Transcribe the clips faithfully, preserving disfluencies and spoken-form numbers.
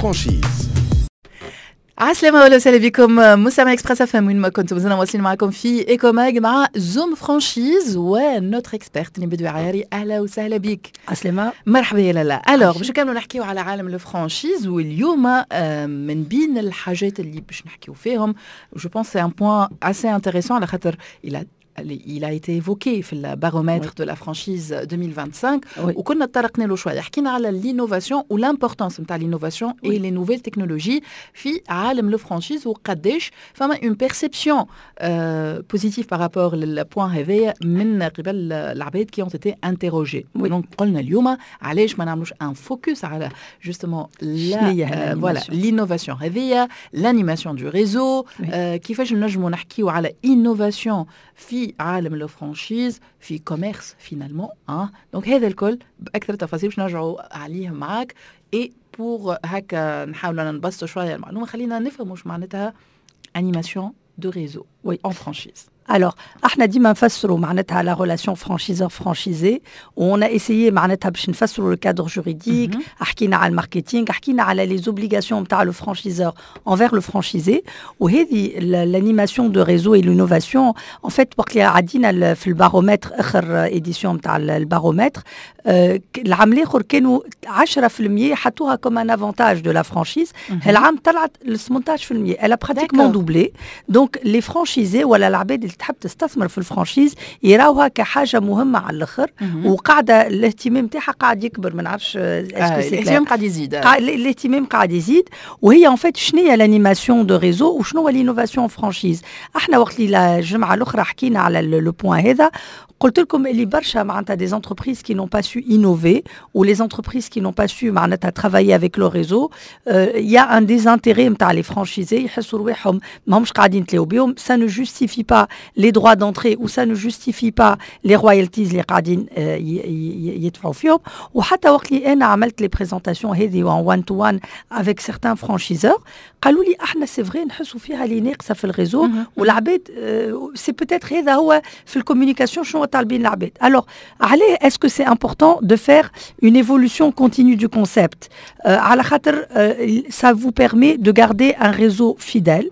franchise. عسلامة ولا وسهلا بكم مستمعي Express FM وين ما كنتم، مازلنا واصلين معكم في Ecomag مع Zoom Franchise و notre experte بدوي عياري. اهلا وسهلا بك. عسلامة. مرحبا يا لالا. alors باش نكملوا نحكيو على عالم ال franchise، واليوم آه، من بين الحاجات اللي باش نحكيو فيهم، je pense c'est un point assez intéressant على خاطر il a il a été évoqué في ال baromètre de la franchise ألفين وخمسة وعشرين Oui. وكنا تطرقنا له شويه، حكينا على l'innovation و l'importance نتاع l'innovation et les nouvelles technologies في عالم ال franchise، وقداش فما une perception positive par rapport لل point هذايا من قبل العباد qui ont été interrogés. Oui. donc قلنا اليوم علاش ما نعملوش un focus على justement شنو هي voilà l'innovation هذيا، l'animation du réseau، كيفاش نجموا نحكيو على innovation في عالم ال franchise، في commerce finalement اه donc هذا الكل باكثر تفاصيل باش نرجعوا عليه معاك. et pour هكا نحاولوا نبسطوا شوية المعلومه، خلينا نفهموا واش معناتها animation de réseau Oui. en franchise. Alors, احنا ديما نفسروا معناتها la relation franchiseur franchisé، on a essayé معناتها باش نفسروا le cadre juridique، حكينا على ال marketing، حكينا على les obligations نتاع le franchiseur envers le franchisé. وهذه l'animation de réseau et l'innovation، en fait وقت اللي عدينا ال- في البارومتر، اخر édition نتاع البارومتر، آه، العام الاخر كانوا عشرة في المية حطوها comme un avantage de la franchise، العام طلعت ل ثمنطاش في المية، elle a pratiquement D'accord. doublé. donc les franchisés ولا العباد اللي تحب تستثمر في ال franchise يراوها كحاجة مهمة على الاخر، وقاعدة الاهتمام تاعها قاعد يكبر. ما نعرفش آه الاهتمام قاعد يزيد. الاهتمام قاعد يزيد. وهي en fait شنو هي l'animation de réseau وشنو هو l'innovation franchise؟ احنا وقت اللي الجمعة الاخرى حكينا على le point هذا، قلت لكم اللي برشا معناتها des entreprises qui n'ont pas su innover ou les entreprises qui n'ont pas su معناتها travailler avec le réseau، il y a un désintérêt نتاع les franchisés، يحسوا رواحهم ماهمش قاعدين تلاو بهم. ça ne justifie pas les droits d'entrée ou ça ne justifie pas les royalties اللي قاعدين يدفعوا فيهم. وحتى وقت اللي انا عملت les présentations هذه en one to one avec certains franchiseurs، قالوا لي احنا c'est vrai نحسوا فيها اللي ناقصه في ال réseau، والعباد c'est peut-être هذا هو في ال communication شنو طالبين العباد. alors علاه est-ce que c'est important de faire une évolution continue du concept؟ على خاطر ça vous permet de garder un réseau fidèle،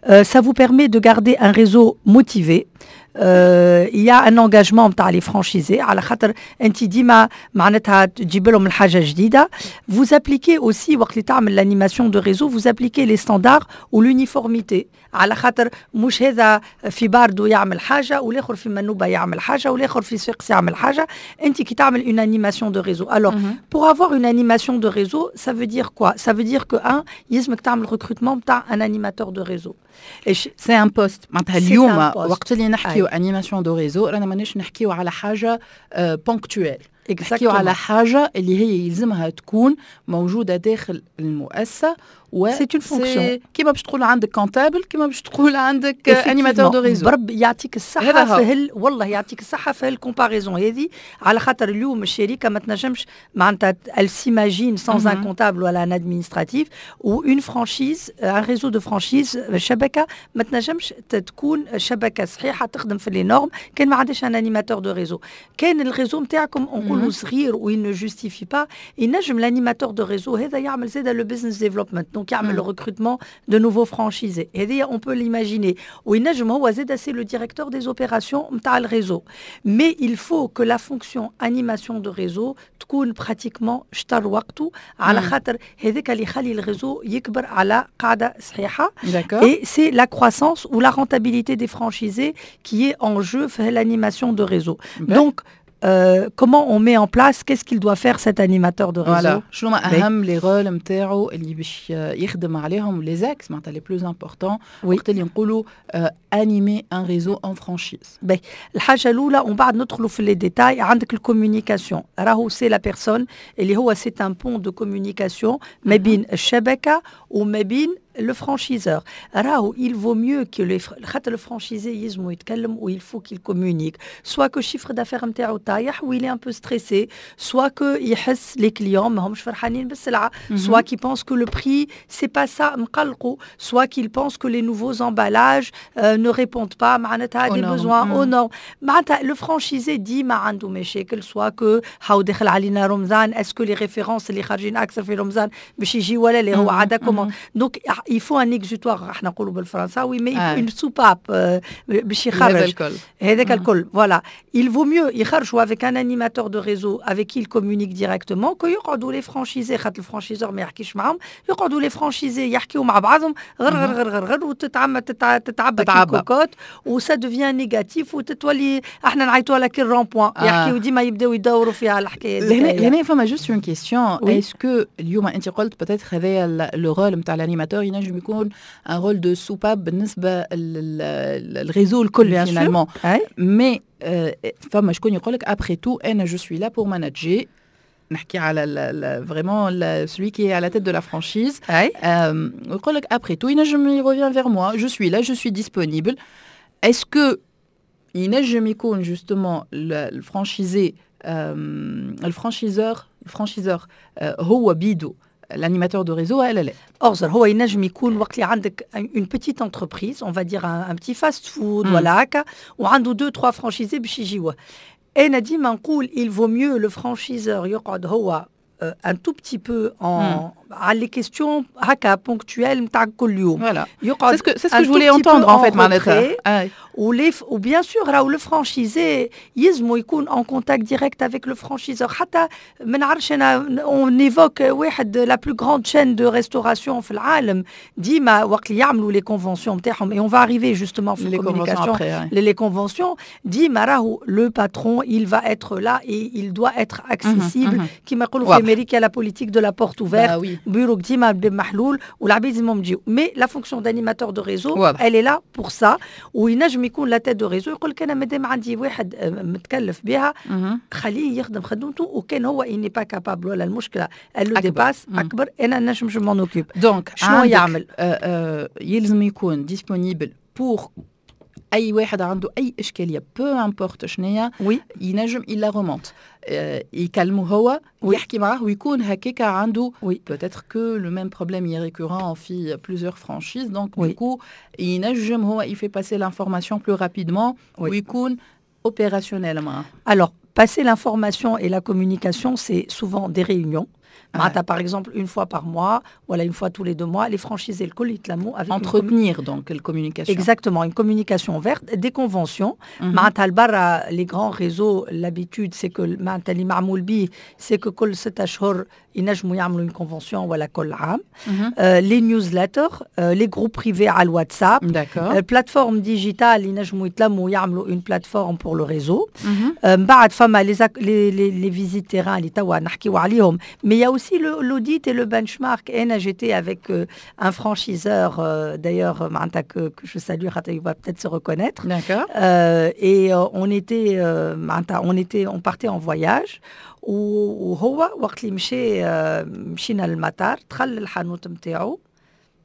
euh, ça vous permet de garder un réseau motivé. Euh, il y a un engagement نتاع les franchisés على خاطر انت ديما معناتها تجيب لهم الحاجة جديده. vous appliquez aussi، وقت اللي تعمل l'animation de réseau، vous appliquez les standards و l'uniformité، على خاطر مش هذا في باردو يعمل حاجة والاخر في منوبه يعمل حاجة والاخر في صفاقس يعمل حاجه. انت كي تعمل une animation de réseau، alors pour avoir une animation de réseau، ça veut dire quoi؟ ça veut dire que un يلزمك تعمل recrutement نتاع un animateur de réseau. c'est un poste. معناتها اليوم وقت اللي نحكيو animation de réseau، رانا مانيش نحكيو على حاجة ponctuelle، نحكيو على حاجة اللي هي يلزمها تكون موجودة داخل المؤسسه. و c'est une fonction. كيما باش تقول عندك comptable، كيما باش تقول عندك animateur de réseau. برب يعطيك الصحة في هال والله يعطيك الصحة في ال comparaison هذه، على خاطر اليوم الشركة ما تنجمش معناتها elle s'imagine sans un comptable ولا un administratif، ou une franchise، un réseau de franchise، شبكة ما تنجمش تكون شبكة صحيحه تخدم في les normes كان ما عندهاش un animateur de réseau. كان ال réseau نتاعكم نقولوا صغير و il ne justifie pas، ينجم l'animateur de réseau هذا يعمل زاد le business development، donc يعمل le recrutement de nouveaux franchisés، هذه on peut l'imaginer. وينجم هو زاد c'est le directeur des opérations نتاع ال réseau. mais il faut que la fonction animation de réseau تكون pratiquement شطر وقته، على خاطر هذاك اللي يخلي ال réseau يكبر على قاعدة صحيحه. et c'est la croissance ou la rentabilité des franchisés qui est en jeu في l'animation de réseau. donc euh, comment on met en place، qu'est-ce qu'il doit faire cet animateur de réseau؟ voilà. شنو ما اهم les rôles نتاعو اللي باش يخدم عليهم، les axes معناتها les plus importants وقت اللي نقولوا animer un réseau en franchise؟ باهي، الحاجة الاولى ومن بعد ندخلوا في les détails، عندك ال communication. راهو c'est la personne اللي هو c'est un pont de communication ما بين الشبكة وما بين le franchiseur راهو il vaut mieux que les خاطر le franchisé يلزمو يتكلم و il faut qu'il communique, soit que chiffre d'affaires نتاعو طايح و il est un peu stressé, soit que يحس les clients ماهمش فرحانين بالسلعه, soit qu'il pense que le prix c'est pas ça مقلقو, soit qu'il pense que les nouveaux emballages euh, ne répondent pas معناتها des besoins, aux normes. معناتها le franchisé ديما عنده مشاكل, soit que هاو دخل علينا رمضان, est-ce que les références اللي خارجين اكثر في رمضان باش يجي ولا لا, هو عاد commande. donc il faut un exutoire, احنا نقولوا بالفرنساوي, mais une soupape باش يخرج هذاك الكل. voilà, il vaut mieux يخرجوا avec un animateur de réseau avec qui il communique directement que يقعدوا les franchisés, خاطر ال franchiseur ما يحكيش معاهم, يقعدوا les franchisés يحكيوا مع بعضهم غر غر غر غر غر وتتعمى تتعبى كوكوت و ça devient négatif وتتولي احنا نعيطوا لك ال rond-point, يحكيوا ديما يبداو يدوروا فيها الحكايه. دي لهنا فما juste une question, est-ce que اليوم انت قلت peut-être هذايا le rôle نتاع l'animateur ينجم يكون un rôle de soupape بالنسبه لل réseau الكل finalement, mais فما شكون يقول لك après tout انا je suis là pour manager, نحكي على vraiment celui qui est à la tête de la franchise, يقول لك après tout ينجم il revient vers moi, je suis là, je suis disponible. est-ce que ينجم يكون justement ال franchisé, ال franchiseur ال franchiseur هو بيدو l'animateur de réseau ولا لا؟ أغزر, هو ينجم يكون وقت اللي عندك une petite entreprise, on va dire un, un petit fast food ولا هكا, وعنده deux trois franchisés باش يجيوه. انا ديما نقول il vaut mieux le franchiseur يقعد هو un tout petit peu en على les questions هكا ponctuelles نتاع كل يوم. Voilà. C'est ce que c'est ce que je voulais entendre en fait معناتها. و les و bien sûr راهو le franchisé يلزمو يكون en contact direct avec le franchiseur. حتى ما نعرفش انا, on évoque واحد la plus grande chaîne de restauration في العالم, ديما وقت اللي يعملوا les conventions نتاعهم, et on va arriver justement في ال communication, les conventions, ديما راهو le patron il va être là et il doit être accessible. كيما يقولوا في امريكا la politique de la porte ouverte, bureau ديما محلول والعباد لازمهم يجيو. mais la fonction d'animateur de réseau elle est là pour ça. وينجم يكون la tête de réseau يقول لك انا مادام عندي واحد متكلف بها خليه يخدم خدمته, وكان هو il n'est pas capable ولا المشكله elle le dépasse اكبر, انا نجم je m'en occupe. donc شنو يعمل؟ يلزم يكون disponible pour اي واحد عنده اي اشكاليه, peu importe شنيا, oui ينجم il la remonte, يكلمه هو ويحكي معاه ويكون هكاك عنده oui peut-être que le même problème est récurrent في plusieurs franchises, donc du coup ينجم هو il fait passer l'information plus rapidement ويكون opérationnel معاه. Alors passer l'information et la communication, c'est souvent des réunions. معناتها par exemple une fois par mois ولا une fois tous les deux mois, les franchisés الكل يتلموا avec entretenir donc la communication. Exactement, une communication ouverte, des conventions. معناتها البرا les grands réseaux, l'habitude c'est que معناتها اللي معمول به c'est que كل ستة اشهر ينجموا يعملوا une convention ولا كل عام. les newsletters, les groupes privés على الواتساب, plateforme digitale, ينجموا يتلموا يعملوا une plateforme pour le réseau. من بعد فما les les les visites terrain اللي توا نحكيو عليهم, mais il y a aussi l'audit et le benchmark. Et j'étais avec euh, un franchiseur, euh, d'ailleurs, que, que je salue, il va peut-être se reconnaître. D'accord. Euh, et on était, on était, on partait en voyage. وهو وقت اللي مشى مشينا للمطار دخل الحانوت نتاعو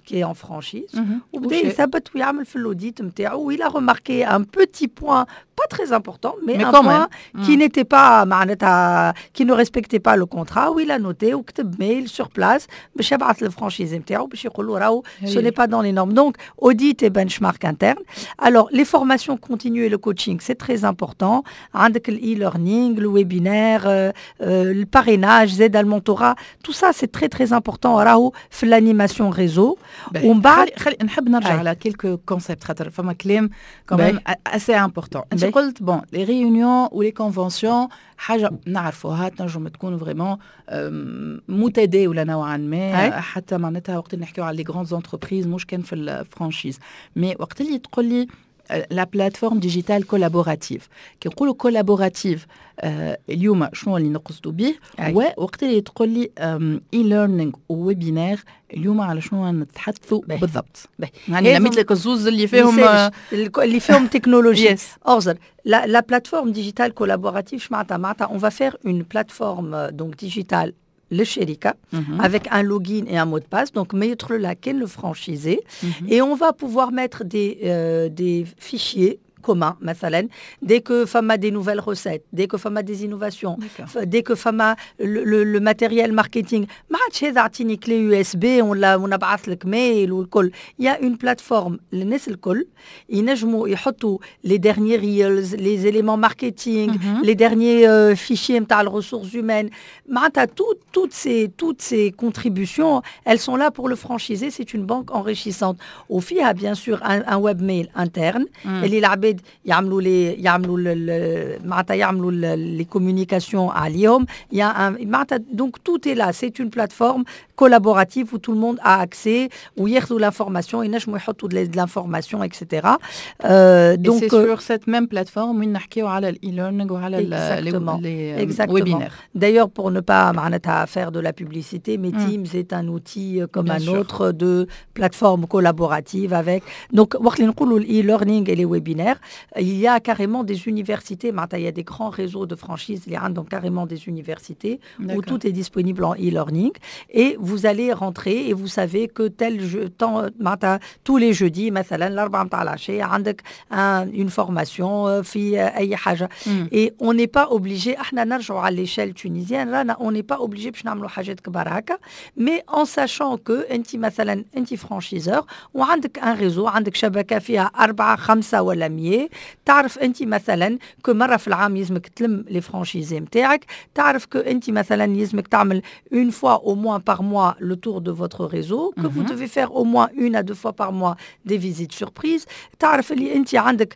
qui est en franchise وبدا يثبت ويعمل في l'audit نتاعو. il a remarqué un petit point pas très important mais, mais un point qui n'était pas معناتها qui ne respectait pas le contrat, و il a noté وكتب mail sur place باش يبعث لل franchisé نتاعو باش يقول له راهو ce n'est pas dans les normes. donc audit et benchmark interne. alors les formations continues et le coaching, c'est très important. عندك l'e-learning, le webinaire, euh, euh, le parrainage زاد ال mentorat, tout ça c'est très très important راهو في l'animation réseau. ومن بعد خلي نحب نرجع على quelques concepts خاطر فما كلام quand même assez important. انت قلت bon les réunions و les conventions حاجه نعرفوها تنجم تكون vraiment متداوله نوعا ما, حتى معناتها وقت اللي نحكيو على les grandes entreprises, مش كان في ال franchise. mais وقت اللي تقول لي la plateforme digitale collaborative, كي نقولوا collaborative اليوم شنو اللي نقصدوا به؟ ووقت اللي تقول لي e-learning و webinaire, اليوم على شنو نتحدثوا بالضبط؟ يعني لميت لك الزوز اللي فيهم اللي فيهم تكنولوجيا. أغزر, la, la plateforme digitale collaborative, معناتها معناتها on va faire une plateforme donc digitale. للشركة avec un login et un mot de passe. Donc ما يدخل لها كان le franchisé et on va pouvoir mettre des euh, des fichiers communs مثلا dès que فما des nouvelles recettes, dès que فما des innovations, dès que فما le, le, le matériel marketing. ما عادش هذا اعطيني clé U S B ولا ونبعث لك mail والكل. Il y a une plateforme للناس الكل ينجموا يحطوا les derniers reels, les éléments marketing, mm -hmm. les derniers euh, fichiers نتاع les ressources humaines. معناتها tout, toutes ces toutes ces contributions, elles sont là pour le franchisé. C'est une banque enrichissante وفيها bien sûr un, un webmail interne اللي العباد يعملوا les يعملوا معناتها يعملوا les communications عليهم. Il y a un معناتها donc tout est là. C'est une plateforme collaborative où tout le monde a accès, وياخذوا l'information, ينجموا يحطوا de l'information, et cetera. euh, donc c'est sur cette même plateforme وين نحكيو على ال e-learning وعلى les webinaires. D'ailleurs, pour ne pas معناتها faire de la publicité, mais mm. Teams est un outil comme Bien un sûr. Autre de plateforme collaborative avec donc وقت اللي نقولوا l'e-learning et les webinaires, il y a carrément des universités معناتها il y a des grands réseaux de franchise اللي عندهم carrément des universités où tout est disponible en e-learning et vous allez rentrer et vous savez que tel jeu, temps, معناتها tous les jeudis مثلا الأربعة متاع العشية عندك une formation في أي حاجة et on n'est pas obligé. احنا نرجعوا على l'échelle tunisienne رانا on n'est pas obligé باش نعملوا حاجات كبار هكا, mais en sachant que انت مثلا انت franchiseur وعندك un réseau, عندك شبكة فيها أربعة خمسة ولا مية, تعرف انت مثلا que مرة في العام يلزمك تلم les franchisés نتاعك, تعرف que انت مثلا يلزمك تعمل une fois au moins par mois le tour de votre réseau, que vous devez faire au moins une à deux fois par mois des visites surprises. تعرف اللي انت عندك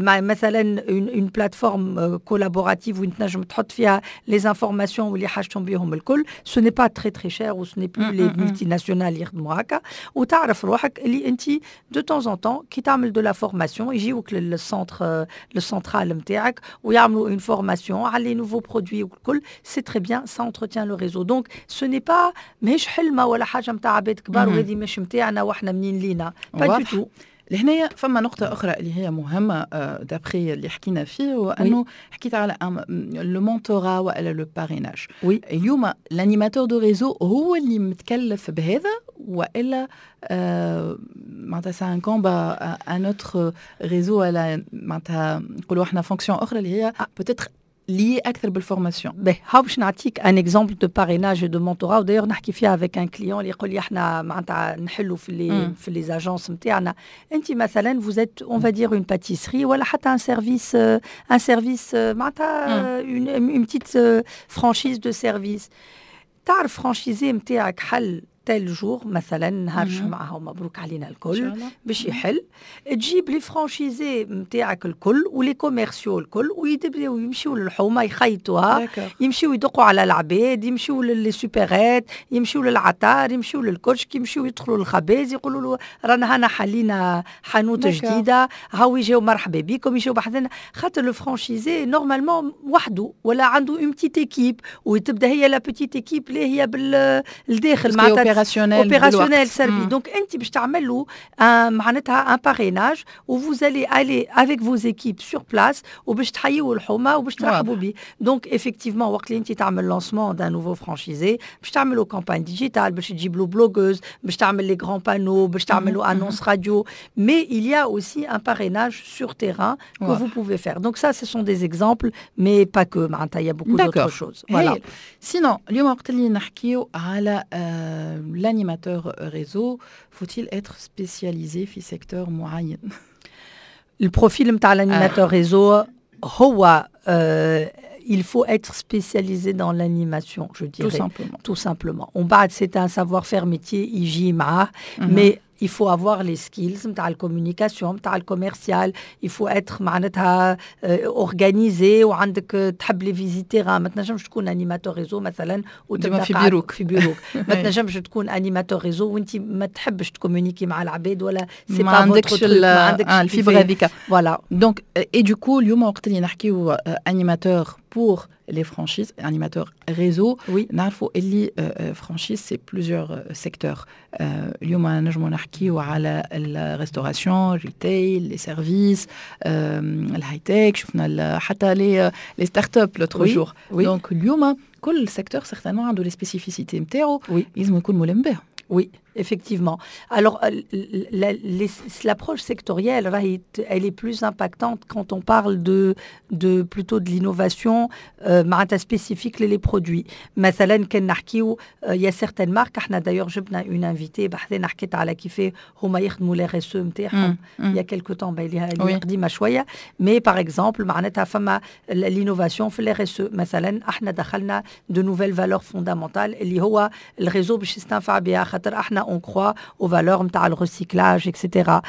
مثلا une, une plateforme collaborative وين تنجم تحط فيها les informations واللي حاجتهم بهم الكل. Ce n'est pas très très cher و ce n'est plus les multinationales يخدموا هكا. وتعرف روحك اللي انت de temps en temps كي تعمل de la formation يجيوك لل centre le central نتاعك ويعملوا une formation على les nouveaux produits والكل. C'est très bien, ça entretient le réseau. Donc ce n'est pas ماهيش حلمه ولا حاجه نتاع عباد كبار وهذه مش نتاعنا واحنا منين لينا, pas du tout. لهنايا فما نقطة أخرى اللي هي مهمة d'après اللي حكينا فيه هو أنه حكيت على le mentorat والا le parrainage. Oui. اليوم l'animateur de réseau هو اللي متكلف بهذا والا آه معناتها ça incombe à un autre réseau ولا معناتها نقولوا احنا fonction اخرى اللي هي peut-être liée اكثر بال formation؟ باهي هاو باش نعطيك un exemple de parrainage, de mentorat. D'ailleurs نحكي فيها avec un client اللي يقول لي احنا معناتها نحلوا في les في les agences نتاعنا. انت مثلا vous êtes, on va dire, une pâtisserie ولا حتى un service un service معناتها une une petite franchise de service. تعرف franchisé نتاعك حل tel jour مثلا نهار جمعة مبروك علينا الكل باش يحل تجيب les franchisés نتاعك الكل و les commerciaux الكل ويبداو يمشيو للحومه يخيطوها يمشيو يدقوا على العباد يمشيو ل les supérettes يمشيو للعطار يمشيو للكشك يمشيو يدخلوا للخباز يقولوا له رانا هنا حلينا حانوت جديده هاو يجيو مرحبا بكم يجيو بحذنا خاطر le franchisé normalement وحده ولا عنده une petite équipe وتبدا هي la petite équipe اللي هي بالداخل معناتها opérationnel opérationnel سربي. Donc انت باش تعمل له معناتها un parrainage و vous allez aller avec vos équipes sur place وباش تحيوا الحومه وباش ترحبوا به. Donc effectivement وقت اللي انت تعمل lancement d'un nouveau franchisé باش تعملوا campagne digitale باش تجيب له blogueuse باش تعمل les grands panneaux باش تعملوا annonce radio, mais il y a aussi un parrainage sur terrain que vous pouvez faire. Donc ça, ce sont des exemples, mais pas que. معناتها il y a beaucoup d'autres choses. Voilà. Sinon اليوم وقت اللي نحكيو على l'animateur réseau, faut-il être spécialisé في secteur معين؟ ال profil نتاع l'animateur réseau هو euh, il faut être spécialisé dans l'animation, je dirais. Tout simplement. Tout simplement. ومن بعد c'est un savoir-faire métier يجي معاه, mais il faut avoir les skills نتاع ال communication نتاع ال commercial, il faut être معناتها organisé وعندك تحب les visites terrain. ما تنجمش تكون animateur réseau مثلا وتبدا في بيروك. في بيروك ما تنجمش تكون animateur réseau وانت ما تحبش ت communiquer مع العباد ولا c'est pas عندكش ما عندكش ال fibre هذيك. Voilà. Donc et du coup اليوم وقت اللي نحكيو animateur pour les franchises, animateur réseau. Oui. نعرفوا اللي franchise, c'est plusieurs secteurs. اليوم نجموا نحكيو على ال restauration, retail, les services, ال high-tech, شفنا حتى les les startups l'autre jour. Donc اليوم كل secteur certainement عنده les spécificités نتاعو, لازم يكون ملم بها. Oui, effectivement. Alors, l'approche sectorielle راهي elle est plus impactante quand on parle de, de plutôt de l'innovation euh, spécifique les produits. مثلا كان نحكيو, il y a certaines marques, احنا d'ailleurs جبنا une invitée بحذانا حكيت على كيفاه هما يخدموا les R S E نتاعهم il y a quelque temps, اللي قديمه شويه, mais par exemple معناتها فما l'innovation في les R S E. مثلا احنا دخلنا de nouvelles valeurs fondamentales اللي هو ال réseau باش يستنفع بها, خاطر احنا on croit aux valeurs نتاع ال recyclage, et cetera.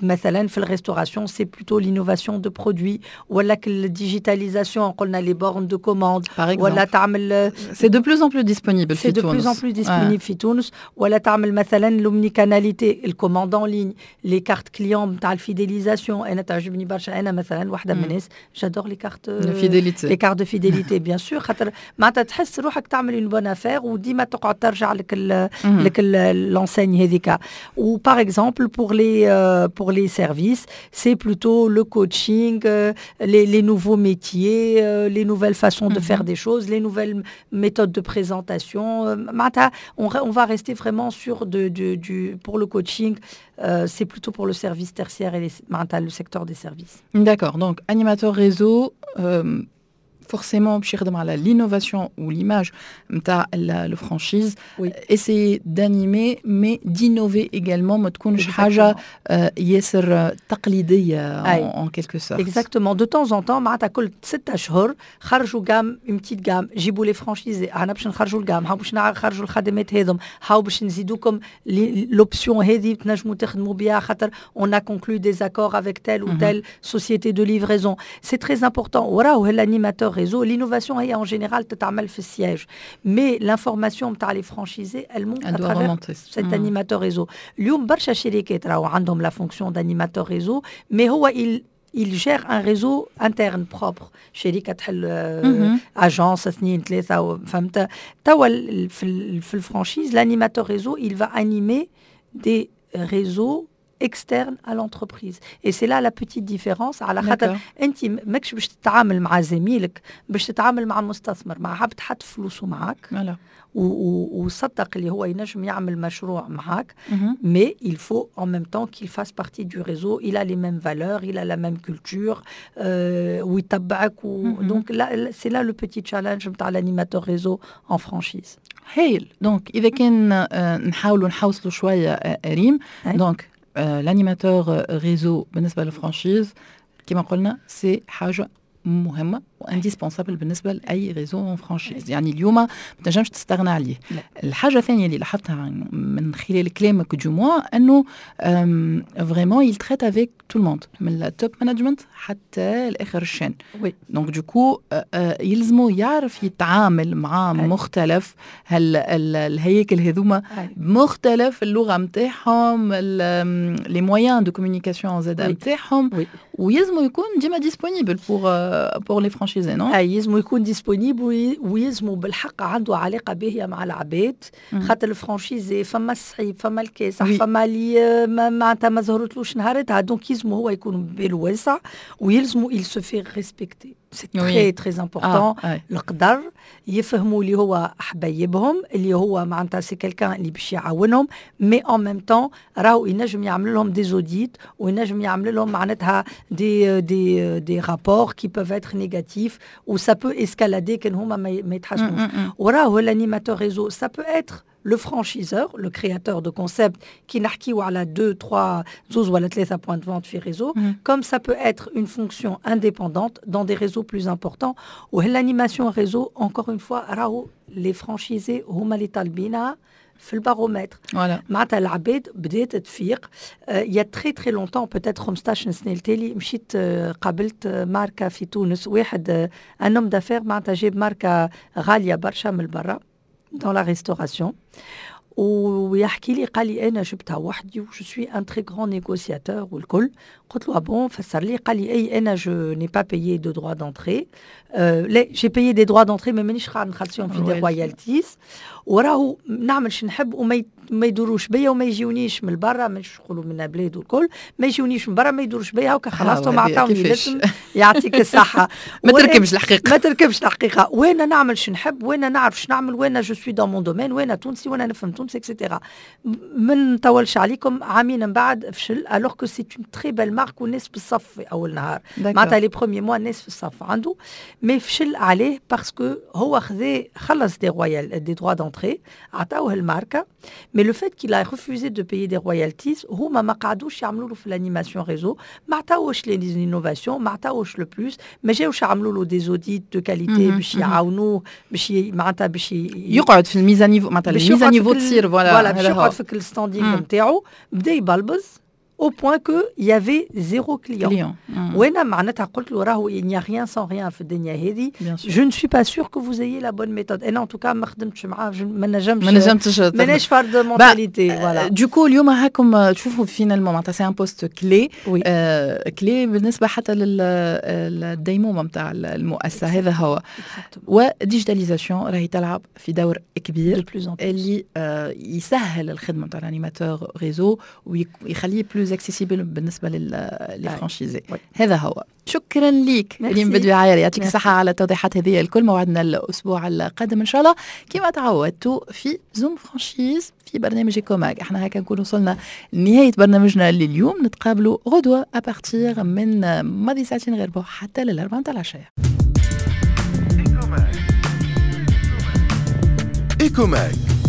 مثلا في ال restauration, c'est plutôt l'innovation de produits ولا ال digitalisation, قلنا les bornes de commande ولا تعمل C'est de plus en plus disponible. C'est de plus en plus disponible في تونس. ولا تعمل مثلا l'omnicanalité, ال commande en ligne, les cartes clients نتاع ال fidélisation. انا تعجبني برشا, انا مثلا واحده من الناس j'adore les cartes fidélité. Les cartes de fidélité, bien sûr, خاطر معناتها تحس روحك تعمل une bonne affaire وديما تقعد ترجع لك لك l'enseigne هذيك. Ou par exemple pour les euh, pour les services, c'est plutôt le coaching, euh, les, les nouveaux métiers, euh, les nouvelles façons de faire des choses, les nouvelles méthodes de présentation. معناتها on, on va rester vraiment sur de, de, du pour le coaching, euh, c'est plutôt pour le service tertiaire et les, معناتها le secteur des services. D'accord. Donc animateur réseau, euh, forcément باش يخدم على l'innovation ou l'image نتاع le franchise, Oui. essayer d'animer mais d'innover également, ما تكونش حاجه ياسر تقليديه أي. en quelque sorte. Exactement. De temps en temps, معناتها كل ستة أشهر خرجوا gamme, une petite gamme, جيبوا les franchisés, احنا باش نخرجوا ال gamme, هاو باش نخرجوا الخدمات هذم, هاو باش نزيدوكم l'option هذه تنجموا تخدموا بها خاطر on a conclu des accords avec telle ou telle société de livraison. C'est très important. وراهو l'animateur réseau, l'innovation هي en général تتعمل في ال siège. Mais l'information نتاع les franchisés, elle monte Elle à doit travers remonter. cet Mm. animateur réseau. اليوم برشا شركات راهو عندهم la fonction d'animateur réseau, mais هو il il gère un réseau interne propre, شركه تحل Mhm. agence, اثنين, ثلاثه, فهمت؟ توا ال- في ال- في ال franchise, l'animateur réseau, il va animer des réseaux externes à l'entreprise et c'est là la petite différence, على خاطر D'accord. انت ماكش باش تتعامل مع زميلك, باش تتعامل مع مستثمر, مع عبد حط فلوسه معاك Voilà. و- و- وصدق اللي هو ينجم يعمل مشروع معاك, Mhm. mais il faut en même temps qu'il fasse partie du réseau, il a les mêmes valeurs, il a la même culture, euh, ويتبعك و... Mhm. Donc là, c'est là le petit challenge نتاع l'animateur réseau en franchise. هايل. Donc اذا كان آه، نحاولوا نحوصلوا شويه آه، ريم, أي. donc l'animateur réseau بالنسبه لل franchise كما قلنا c'est حاجه مهمه و indispensable بالنسبه لاي réseau en franchise, يعني اليوم ما تنجمش تستغنى عليه. لا. الحاجه الثانيه اللي لاحظتها من خلال كلامك du moins انه vraiment il traite avec tout le monde, من ال top management حتى لاخر ال chaîne. Oui. Donc du coup يلزمو يعرف يتعامل مع أي. مختلف هال ال- الهياكل هذوما أي. بمختلف اللغه نتاعهم, les moyens de communication زاد Oui. نتاعهم, Oui. ويلزمو يكون ديما disponible pour pour les franchisés, non? اي, يلزمو يكون disponible ويلزمو بالحق عنده علاقه باهيه مع العباد, خاطر ال franchisé فما الصعيب, فما الكاسح, Oui. فما اللي ما- معناتها ما زهرتلوش نهارتها, donc يلزمو هو يكون باله واسع ويلزمو il se fait respecter, c'est Oui. très très important. آه. القدر يفهموا اللي هو حبايبهم, اللي هو معناتها c'est quelqu'un اللي باش يعاونهم, mais en même temps راهو ينجم يعمل لهم des audits وينجم يعمل لهم معناتها des des des rapports qui peuvent être négatifs و ça peut escalader كان هما ما ما يتحسنوش. وراهو l'animateur réseau, ça peut être le franchiseur, le créateur de concept كي نحكيو على deux, trois, زوز ولا ثلاثة points de vente في réseau, comme ça peut être une fonction indépendante dans des réseaux plus importants. و l'animation réseau, encore une fois, راهو les franchisés هما اللي طالبينها في ال baromètre. Voilà. معناتها العباد بدات تفيق. Il y a très très longtemps, peut-être خمسطاش سنه التالي, مشيت آه، قابلت آه، ماركه في تونس, واحد un homme d'affaires معناتها جاب ماركه غاليه برشا من برا dans la restauration. ويحكي لي قال لي انا جبتها وحدي و je suis un très grand négociateur والكل. قلت له bon، فسر لي. قال لي اي انا je n'ai pas payé de droits d'entrée، لا j'ai payé des droits d'entrée mais مانيش قاعد نخلصهم في des royalties، وراهو نعمل شو نحب وما ما يدوروش بيا وما يجيونيش من برا، مش نقولوا من بلاد والكل، ما يجيونيش من برا، ما يدوروش بيا، هكا خلصتهم عطاوني الاسم يعطيك الصحه. ما تركبش الحقيقه، ما تركبش الحقيقه، وانا نعمل شو نحب وانا نعرف شو نعمل وانا je suis dans mon domaine وانا تونسي وانا نفهم تونس et cetera. ما نطولش عليكم، عامين من بعد فشل، alors que c'est une très belle marque والناس بالصف في اول نهار، معناتها les premiers mois الناس في الصف عنده، mais فشل عليه parce que هو خذا خلص des royal des droits d'entrée عطاوه الماركه، mais le fait qu'il a refusé de payer des royalties، هما ما قعدوش يعملوا له في l'animation réseau، ما عطاوش les innovations، ما عطاوش le plus، ما جاوش عملوا له des audits de qualité باش يعاونوه باش معناتها باش يقعد في ال mise à niveau، معناتها ال mise à niveau تصير، voilà voilà باش يقعد في ال standing نتاعو. بدا يبلبز au point que il y avait zéro client. client. وانا معناتها قلت له راهو il n'y a rien sans rien في الدنيا هذه، je ne suis pas sûr que vous ayez la bonne méthode. انا en tout cas ما خدمتش معاه، ما نجمش ما نجمتش، ماناش فرد mentalité، voilà. du coup اليوم هاكم تشوفوا finalement معناتها c'est un poste clé clé بالنسبة حتى للديمومه نتاع المؤسسه، هذا هو. و digitalisation راهي تلعب في دور كبير اللي يسهل الخدمة نتاع l'animateur réseau ويخليه plus accessible بالنسبة لل franchisés. هذا هو. شكرا ليك ريم بدوي عاير، يعطيك الصحة على التوضيحات هذه الكل. موعدنا الاسبوع القادم ان شاء الله كما تعودتوا في Zoom Franchise في برنامج Ecomag. احنا هكا نكون وصلنا لنهاية برنامجنا لليوم، نتقابلوا غدوه à partir من ماضي ساعتين غير ربع حتى للاربعه نتاع العشيه. Ecomag.